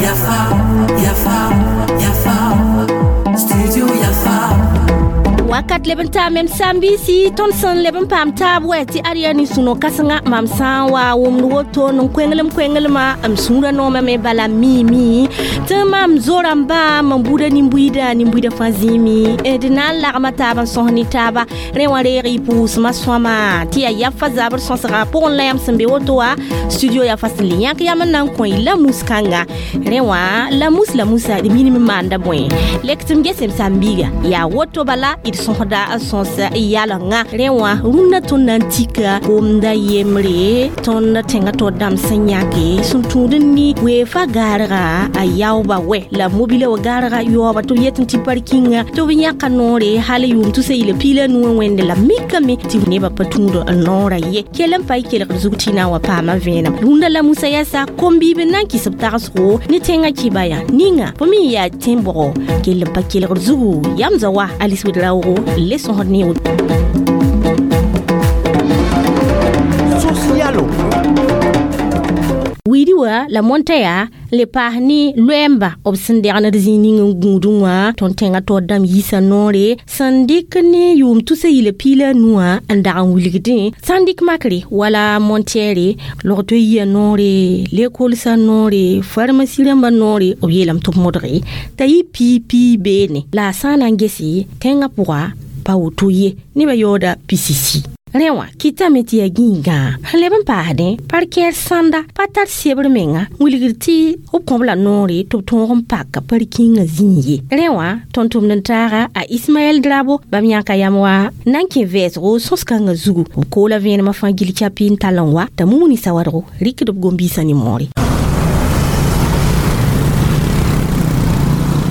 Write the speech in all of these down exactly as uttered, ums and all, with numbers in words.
Yafa, Yafa, Yafa, Studio Yafa. Wakat leb n taa mem sãn-biisi tõnd sẽn leb n paam taab wɛ tɩ ad yaa nin-sũno kãsenga mam sã n wa wʋmd woto n koenglem koenglema m sũurã noomame me bala miime tɩ mam zo-rãmbã mam buda nin-buiida nin-buiida fãa zĩime d na n lagma taab n sõs ne taaba rẽ wã reeg y pʋʋsmã sõama tɩ yaa yafa zabr sõsga pʋgẽ la yãmb sẽn be woto wã studio yafa sẽn le yãk yam n na n kõ y la mus-kãnga rẽ wã la mus la musa d minim n maanda bõe lek tɩ m gesem sãn-biiga yaa woto bala d sõsda sõs yalengã rẽ wã rũndã tõnd na n tika gomda yembre tõnd tẽngã tao dãmb sẽn yãke sẽn tũud n ni weefa gaarga a yaooba wɛ la mobila wa gaarga yaooba tɩ b yetẽ tɩ parkinga tɩ b yãka noore hal yʋʋm tusa yɩla piila nuwã wẽnde la mikame tɩ nebã pa tũud n noorã ye kell n pa y kelgd zug tɩ na n wa paama vẽenem rũndã la musa yɛsa kom-biib n na n kɩs b tagsgo ne tẽngã kɩba yã ninga fo me yaa tẽn-bʋgo kell n pa kelgd zugu yam za wa Alice Ouedraogo le sõsd ne Socialo. Wiidi wa la montaya le paas ne loɛɛmba b sẽn degnd zĩig ning n gũudẽ wã tõnd tẽngã taoor dãmb yiisa noore sẽn dɩk ne yʋʋm tusa yɩla piila a nuwã n dag n wilgdẽ sã n dɩk makre wala montɛɛre logto yia noore lekolsã noore farmasi rãmbã noore b yeelame tɩ b modge t'a yɩ pii pii beene la a sã n na n gese tẽngã pʋga pa woto ye nebã yaooda pisisi rẽ wã kɩtame tɩ yaa gĩigã sẽn leb n paasdẽ parkɛɛr sãnda pa tar sebr menga wilgr tɩ b kõb la noore tɩ b tõog n paka parkĩngã zĩig ye rẽ wã tõnd tʋmd n taaga a Ismaɛl Drabo bãmb yãka yam wa na n kẽ vɛɛsgo sõs-kãngã zugu b koola vẽenemã fãa gil capi n tall n wa t'a mumuni sawadgo rɩkd b gom-biisã nin-moore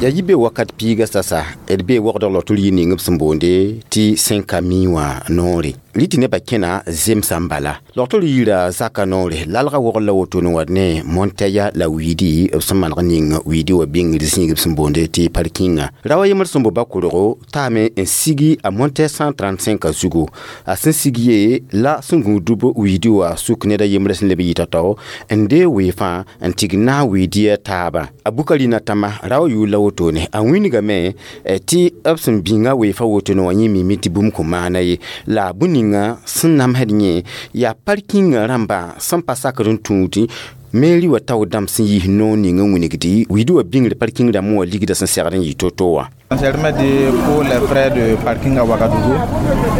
ya yibe wakat piiga sasa d be wagdg lotr yir ning b sẽn boonde tɩ sẽn ka mi wã noore rɩ tɩ nebã kẽna zemsã n bala logtr yira zaka noore lalga wogl la woto n wa ne montɛya la wiidi b sẽn maneg ning wiidi wa bĩngr zĩig b sẽn boonde tɩ parkinga ra wa yembr sẽn bo bakorgo taame n sigi a montɛ cent trente-cinq zugu a sẽn sig ye la sẽn gũudb wiidi wa suk ned a yembrã sẽn leb yɩta tao n dee weefã n tig naag wiidiya taabã a Bukari na tãma ra wa yʋʋl la wotone a wĩnigame tɩ b sẽn bĩnga weefã wotone wã yẽ mime tɩ bũmb kõn maana ye la bũmb ninga sẽn namsd yẽ yaa parkinga rãmbã sẽn pa sakd n tũud meri wa tao dãmb sẽn yiis noor ning n wilgdi wiidi wa bĩngr parking rãmb wã ligda sẽn segd n yɩ to-to wã. Pour les frais de parking à Ouagadougou,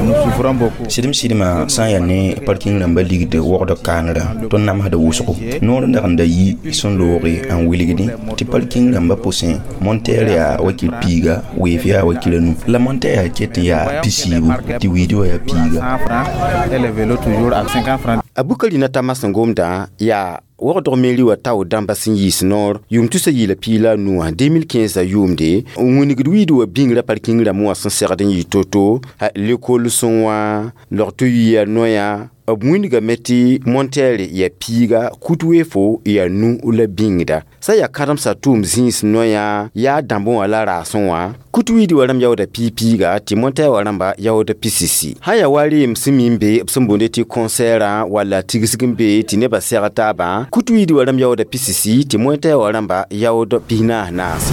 nous souffrons beaucoup. Sɩdem sɩdmã sã n yaa ne parking rãmbã ligd wogd kaanrã tõnd namsda wʋsgo noor n dag n da yi sẽn looge n wilgdẽ tɩ parking rãmbã pʋsẽ montɛɛr yaa wakir piiga weef yaa wakir a nu la montɛɛr yaa ket n yaa pisiibu tɩ wiidi wã yaa piiga. Et les vélos toujours à cinquante francs. A Bukari na tãmã sẽn gomdã yaa wagdg meri wa tao dãmba sẽn yiis noor yʋʋm tusa yɩla piila a nuwã deux mille quinze yʋʋmde n wĩnigd wiidi wa bĩngrã parking rãmb wã sẽn segd n yɩ to-to lekolsẽ wã logto yia noya b wĩnigame tɩ montɛɛr yaa piiga kut weefo yaa nu la bĩngda sã yaa kãdemsã tʋʋm zĩis noyã yaa dãmbẽ wã la raasẽ wã kut wiidi wa rãmb yaooda piig-piiga tɩ montɛɛr wã rãmba yaood pisisi sã yaa wa reem sẽn mi n be b sẽn boonde tɩ concɛrã walla tigsg n be tɩ nebã sɛg taabã kut wiidi wa rãmb yaooda pisisi tɩ montɛɛr wã rãmba yaood pis-naas-naase.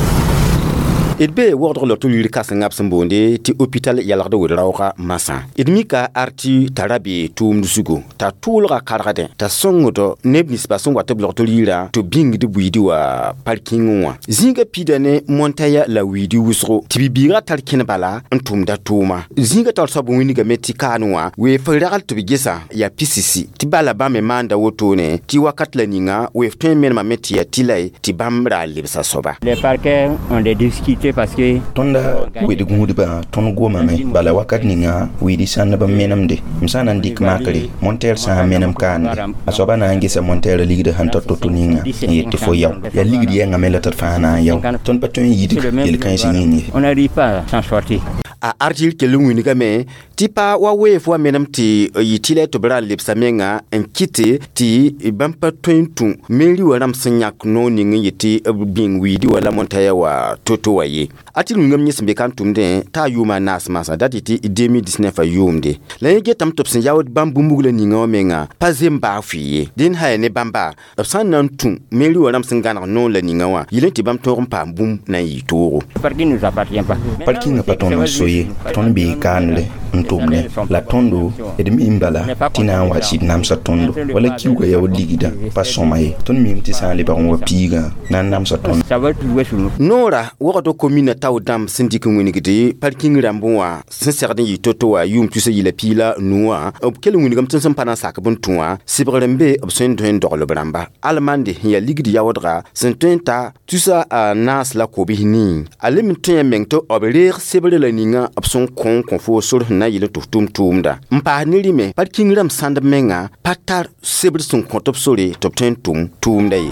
D be wagdg lotr yir kãsengã b sẽn boonde tɩ hôpital yalgd wed-raooga masã d mika arti t'a ra be tʋʋmd zugu t'a tʋʋlga kargdẽ t'a sõngd neb ninsbã sẽn wat b logtr yirã tɩ bĩngd buiidi wã parking wã zĩigã pida ne montɛya la wiidi wʋsgo tɩ bibiigã tar kẽn bala n tʋmda tʋʋma zĩigã taoor soab wĩnigame tɩ kaan wã weef ragl tɩ b gesa yaa pisisi tɩ bala bãmb me maanda wotone tɩ wakat la ninga weef tõe n menemame tɩ yaa tɩ tɩ bãmb ra lebsa soaba. Les parquets ont des difficultés parce que tõnda wed gũudbã tõnd gomame bala wakat ninga wiidi sãndb n menemde m sã n na n dɩk makre montɛɛr sã n menem kaande a soaba na n gesa montɛɛrã ligd sẽn ta to-to ninga n yet tɩ fo yao yaa ligd yɛngame la tɩ d fãa na n yao tõnd pa tõe n yidg yel-kãens yĩng ye. On n'arrive pas à s'en sortir. A artil kell n wilgame tɩ pa wa weef wa menem tɩ yɩ tɩ la tɩ b ra n lebsa menga n kɩte tɩ bãmb pa tõe n tũ meri wã rãmb sẽn yãk noor ning n yetɩ b bĩng wiidi wã la montaya wã to-to wã ye. A tɩ rũngame yẽ sẽn be ka n tʋmdẽ t'a yʋʋma a naas mansã dat yetɩ deux mille dix-neuf a yʋʋmde la yẽ getame tɩ b sẽn yaood bãmb bũmb la ninga wã menga pa zem baa fʋɩ ye. Dẽnd sã ya ne bãmba b sã n na n tũ meri wã rãmb sẽn gãneg noor la ninga wã yɩl tɩ bãmb tõog n paam bũmb na n yɩ toogo. Parking nous appartient pas. Parkinga pa tõnd n so ye, tõnd bee kaanre n tʋmdẽ la tõndo d mi n bala tɩ na n wa sɩd namsa tõndo wala kiuugã yaood ligdã pa sõma ye. Tõnd mim tɩ sã n lebg n wa piigã na n namsa tõnd. Ça va jouer sur nous. Noora wagd komina tao dãmb sẽn dɩk n wingde parking rãmb wã sẽn segd n yɩ to-to wã yʋʋm tusa yɩla piila nu wã b kell n wingame tɩ sẽn pa na n sak b n tũ wã sɩbgr n be b sẽn tõe n dogl b rãmba almande sẽn yaa ligd yaoodga sẽn tõe n ta tusa a naas la kobs nii a lem n tõe meng tɩ b reeg sebrã la ninga b sẽn kõ n kõ fo sor sẽn na n yɩl tɩ f tʋm tʋʋmda n paas ne rɩme parking rãmb sãndb menga pa tar sebr sẽn kõt b sore tɩ b tõe n tʋm tʋʋmda ye.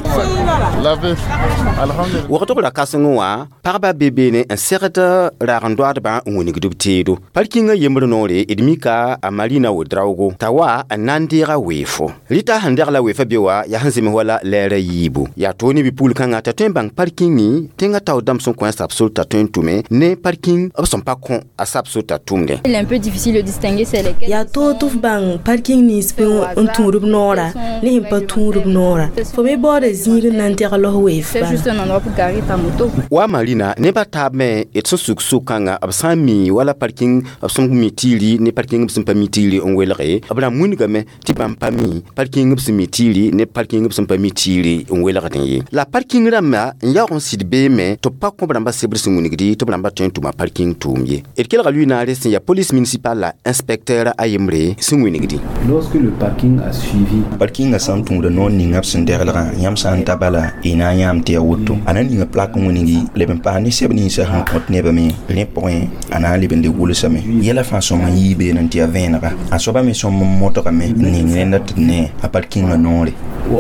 Wagdg ra kãseng wã pagba be beene n segd raag n doaadbã n wingd b teedo parkingã yembr noore. D mika a Marina Wodraogo t'a wa n na n deega weefo rɩta sẽn degla weefã be wa yaa sẽn zems wala lɛɛrã yiibu yaa toog ne bi-pugl kãngã t'a tõe n bãng parkingi tẽngã tao dãmb sẽn kõ a sab sor t'a tõe n tʋme ne parking b sẽn pa kõ a sab sor t'a tʋmdẽ. Il est un peu difficile de distinguer c'est lesquels. Yaa toog tɩ f bãng parking nins n tũud b noora ne sẽn pa tũud b noora. Fo me baooda zĩig n na n degl f weef. C'est juste un endroit pour garer ta moto. Wa Marina nebã taab me d sẽn suk sʋkãngã b sã n mi wala parking b sẽn mi tiiri ne parking b sẽn pa mi tiiri n welge b ra wilgame tɩ bãmb pa mi parking b sẽn mi tiiri ne parking b sẽn pa mi tiiri n welgdẽ ye. La parking rãmbã n yaoog n sɩd beeme tɩ b pa kõ b rãmbã sebr sẽn wilgdi tɩ b rãmbã tõe n tʋma parking tʋʋm ye. D kelga lʋɩ-naare sẽn yaa police municipale la inspecteur a yembre sẽn wilgdi. Lorsque le parking a suivi Parkingã sã n tũuda noor ninga b sẽn deglgã yãmb sã n ta bala y na n yãam tɩ yaa woto a na n ninga plak n wilgi leb n paas ne sɛb ninsã sẽn kõt nebã me rẽ pʋgẽ a na n leb n le gʋlsame yɛla fãa sõm n yii beene tɩ yaa vẽenega a soaba me sõm n modgame n ning rẽnda tɩ d ne a parkingã noore.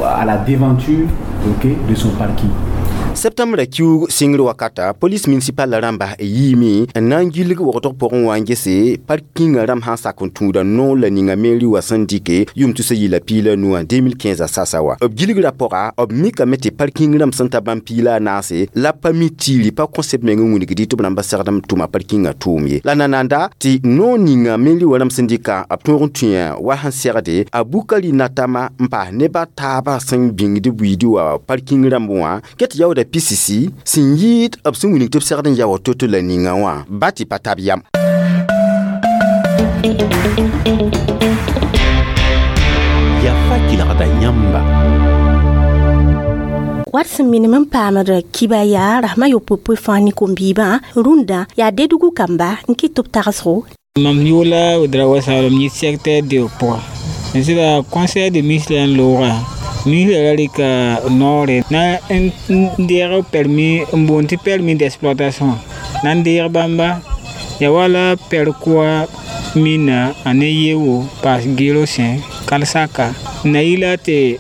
À la devanture, ok, de son parking. Septembre kiuug sɩngr wakata police municipale la rãmba yiime n na n gilg wagdg pʋgẽ wã n gese parkingã rãmb sã n sak n tũuda noor la ninga meri wã sẽn dɩke yʋʋm tusa yɩla piila nu wã deux mille quinze a sasa wa b gilgrã pʋga b mikame tɩ parking rãmb sẽn ta bãmb piila a naase la pa mi tiiri pa kõseb meng n wilgdi tɩ b rãmba segd n tʋma parkingã tʋʋm ye. La nananda tɩ noor ninga meri wã rãmb sẽn dɩka b tõog n tũa wa sẽn segde a Bukari Natama n paas neba taabã sẽn bĩngd buiidi wã parking rãmb wã ket yaooda pisisi sẽn yɩɩd b sẽn wilg tɩ b segd n yaood to-to la ninga wã ba tɩ pa tab yam. Yafa kelgda yãmba. Wat sẽn minim n paamd kiba yaa rasmã yopoe fãa ne kom-biibã rũndã yaa dedugu kamba n kɩt tɩ b tagsgo. Mam yʋʋla Ouedraogo Salom yit secteur de pʋga sɩda conseil de ministre n looga ministre ra rɩka noore na n deeg permis n boond tɩ permis d'exploitation na n deeg bãmba ya wala pɛrkʋa mina a ne yewo paas gero sẽ kalsaka na yɩla tɩ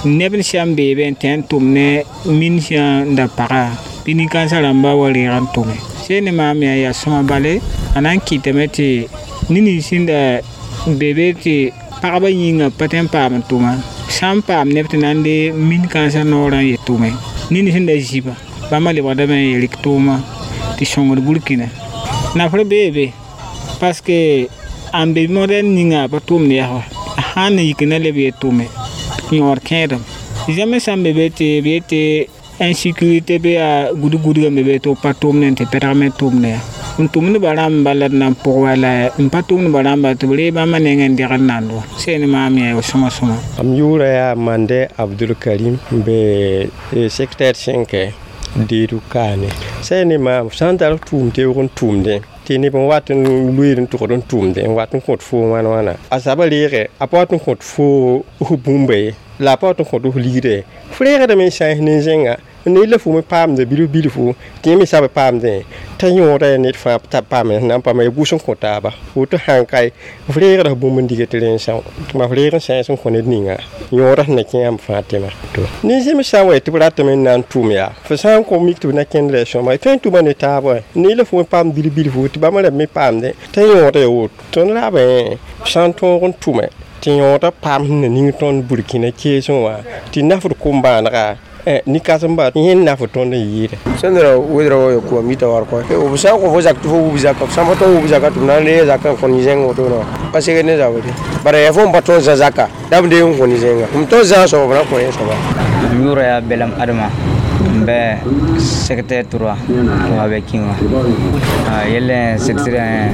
neb sã n beebe n tẽ n tʋm ne min sã n da paga bɩ nin-kãensã rãmba wa reeg n tʋme sẽn ne maam yaa yaa sõma bale a na n kɩtame tɩ ned sẽn da be be tɩ pagba yĩnga pa tõe n paam n tʋma sã n paam neb tɩ na n de min-kãensã noorã n yet tʋme ned sẽn da zĩba bãmba lebgdame n yel rɩk tʋʋma tɩ sõngd burkina nafr bee be parce que ãn be modèle ninga pa tʋmd yɛsga sãn na yik na leb yet tʋme yõod kẽedem zãmb sã n be be tɩ b yetɩ insécurité be yaa gud-gudga me be tɩ b pa tʋmdẽ tɩ pɛdg me tʋmd ya n tʋmdba rãmba la d na n pʋg wala n pa tʋmdba rãmba tɩ b ree bãmba nengẽ n degd nand wa sẽn ne maam yaa sõma sõma. Am yʋʋra yaa Mande Abdul Karim n be secteur cinq deedu kaane sã ne maam sã n tar tʋʋm teoog n tʋʋmdẽ tɩ neb n wat n loeed n tʋgd n tʋʋmdẽ n wat n kõt foo wãn wãna a saba reege a pa wat n kõt foo f bũmba ye la a pa wat n kõt f ligda ye f reegdame n sãens nin-zẽnga. Ne la fu me paamde bilf bilfu tɩ yẽ me sab paamdẽ t'a yõoda yaa ned fãa t'a paame na n paama ya gʋs n kõ taaba woto sãn kae f reegda f bũmb n diga tɩ rẽn são tɩ f reeg n sãens n kõ ned ninga yõoda sẽn na kẽ yãmb fãa tɩma to nin-zẽms sã n wa tɩ b ratame n na n tʋm yaa fo sã n kõ mik tɩ b na kẽnd la sõma tõe n tʋma ne taab ne la fu me paam bilf bilfu tɩ bãmb rãmb me paamdẽ t'a yõoda yaa woto tõnd raabẽ sã n tõog n tʋme tɩ yõoda paam sẽn na ning tõnd Burkina keesẽ wã tɩ nafd kom-bãanega ni kãsem-ba yẽnd naf tõnd n yɩɩda sẽn wedra wa kʋa mita war kõ b sã n kõ fo zak tɩ fo wub zaka f sã n pa tõe wub zaka tɩ b na n reeg zakã n kõ nin-zẽng wotone pa segd ne zabre bara yaa fo n pa tõe n zã zaka la b deeg n kõ nin-zẽnga m tõe n zãag soaba b na kõ yẽ soaba m yʋʋra yaa Belam Adama n bɛ secrétaire trois wa bɛ kin wa yɛlɛ secrétaire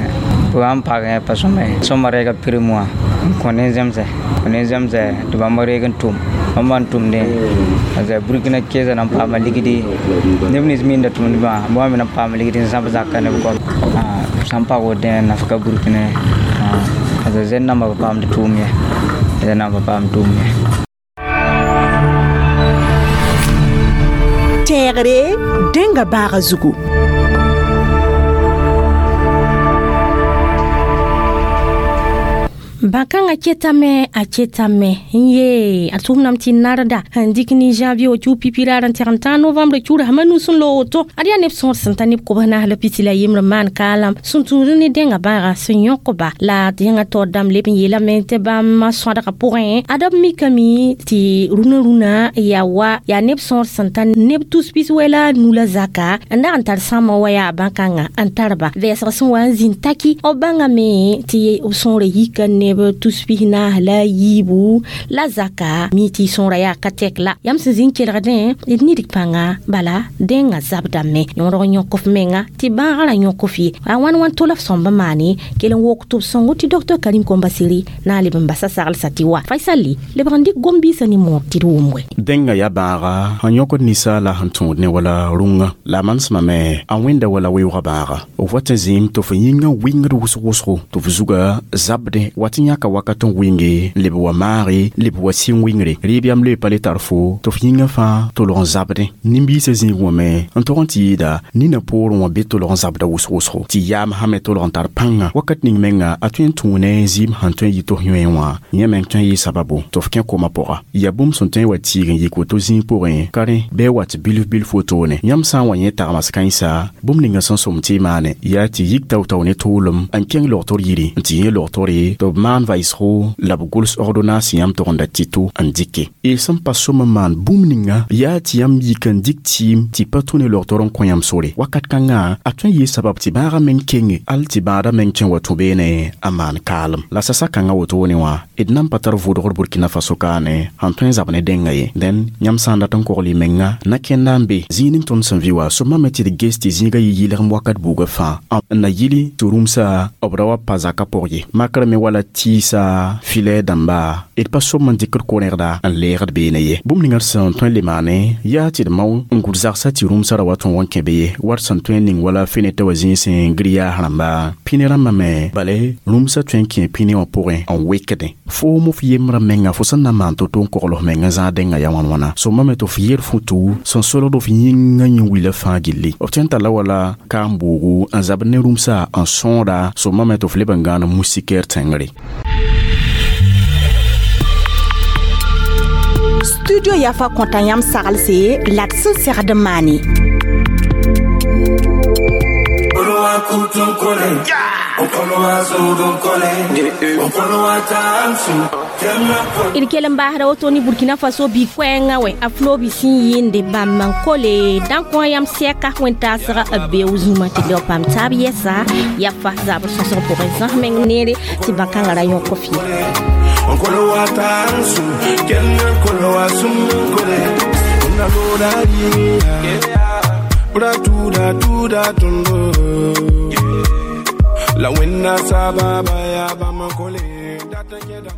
b n paagẽ pa sõma ye sõma reega prime wã n kõ nin-zẽmsɛ kõ nin-zẽmsɛ tɩ bãmb reeg n tʋm bãmb n tʋmdẽ a Burkina keesã na n paama ligdi neb nins minda tʋmdbã bãmb me na n paama ligdi n zãb zakã ne b goam sã n pag wotẽ nafka Burkina a zẽn nambã pa paamd tʋʋm ye zẽn nambã pa paamd tʋʋm ye tẽegre dẽnga baaga zugu Bãkãngã ketame a ketame n ye a tʋʋmdame tɩ narda n dɩk ne janvier wa pipi raar n tɛg n tãag novembre kiuur sãma nus n loog woto ad yaa neb sõor sẽn ta neb kobs naas la pisi la yembre maan kaalam sẽn tũud ne dẽnga bãaga sẽn yõkba la dẽngã taoor dãmb leb n yeelame tɩ bãmb sõadgã pʋgẽ ad b mikame tɩ rũnã rũnã yaa wa yaa neb sõor sẽn ta neb tus pis wɛ la a nu la zaka n dag n tar sãmã wa yaa bãkãngã n tarba vɛɛsg sẽn wa n zĩnd taki b bãngame tɩ b sõora yika neb tus pis naas la yiibu la zaka mi tɩ sõora yaa ka tɛk la yãmb sẽn zĩ n kelgdẽ d nidg pãnga bala dẽngã zabdame yõodg n yõk f menga tɩ bãagrã ra yõk f ye a wãn wãn tola f sõmb n maane kell n wok tɩ b sõngo tɩ docteur Karim Kombasiri na n leb n basa saglsa tɩ wa Faisal lebg n dɩk gom-biisã ne moor tɩ d wʋm wɛ dẽngã yaa bãaga sẽn yõkd ninsaala sẽn tõod ne wala rũngã la a manesmame a wẽnda wala weoogã bãaga f wat n zĩim tɩ f yĩngã wɩngd wʋsg wʋsgo tɩ f zuga zabdẽ wat n yãka wakat n wɩnge leb wa maage leb wa sɩng wɩngre rɩɩb yam loe pa le tar fo tɩ f yĩngã fãa tolg n zabdẽ nin-biisã zĩig wã me n tog n tɩ yɩɩda nina poorẽ wã be tolg n zabda wʋsg wʋsgo tɩ yaam sã me tolg n tar pãnga wakat ning menga a tõe n tũu ne zɩɩm sẽn tõe n yɩ tɩ f yõe wã yẽ meng tõe n yɩ sababu tɩ f kẽ koma pʋga yaa bũmb sẽn tõe n wa tiig n yik woto zĩig pʋgẽ ka rẽ bɩ wat bilf bilf wotone yãmb sã n wa yẽ tagmas kãensa bũmb ninga sẽn sõm tɩ y maane yaa tɩ yik tao-tao ne tʋʋlem n kẽng logtr yiri n tɩ yẽ logtore tɩ b maan vaɩsgo la b gʋls ordonnance yãmb togenda tɩ-to n dɩke y sẽn pa sõm n maan bũmb ninga yaa tɩ yãmb yik n dɩk tɩɩm tɩ pa tũ ne logtr n kõ yãmb sore wakat kãngã a tõe n yɩ sabab tɩ bãagã meng kenge al tɩ bãadã meng tõe n wa tũ beene a maan kaalem la sasa kãngã wotone wã d nan pa tar vʋʋdgr Burkina Faso kaane sẽn tõe n zab ne dẽngã ye dẽn yãmb sã n dat n kogl y menga na kẽnda n be zĩig ning tõnd sẽn vɩ wa sõmame tɩ d ges tɩ zĩigã yɩ yɩlgem wakat buugã fãa n na yili tɩ rũmsa b ra wa pa zakã pʋg ye makrã me wala tɩɩsa filɛ dãmba d pa sõm n dɩkd ko-rẽgda n leegd beene ye bũmb ninga d sẽn tõe n le maane yaa tɩ d mao n gʋd zagsã tɩ rũmsã ra wa tõog n kẽ be ye wat sẽn tõe n ning wala fenetã wa zĩisẽ grillage rãmba pĩne rãmbã me bale rũmsã tõe n kẽ pĩne wã pʋgẽ n wekdẽ foom f yembrã menga fo sẽn na n maan to-to n kogl f meng n zãag dẽngã yaa wãn wãna sõmame tɩ f yer futu sẽn solgd f yĩngã yẽ wila fãa gilli f tõe n talla wala kaam-boogu n zabd ne rũmsã n sõoda sõmame tɩ f leb n gãan moustiquaire tẽngre Studio Yafa kõta yãmb saglse la d sẽn segd n maane. D kell n baasda woto ne Burkina Faso bɩ koɛɛngã wɛ a flobi sẽn yɩɩnde bãmb n kole dã kõ yãmb sɛka wẽn-taasga b beoog zũma tɩ leo paam taab yɛsa yafa zabr sõsg pʋgẽ zãs meng neere tɩ bãkãngã ra yõk f ye. La wẽnna sababa yaa bãmb n kole dat n yẽdam.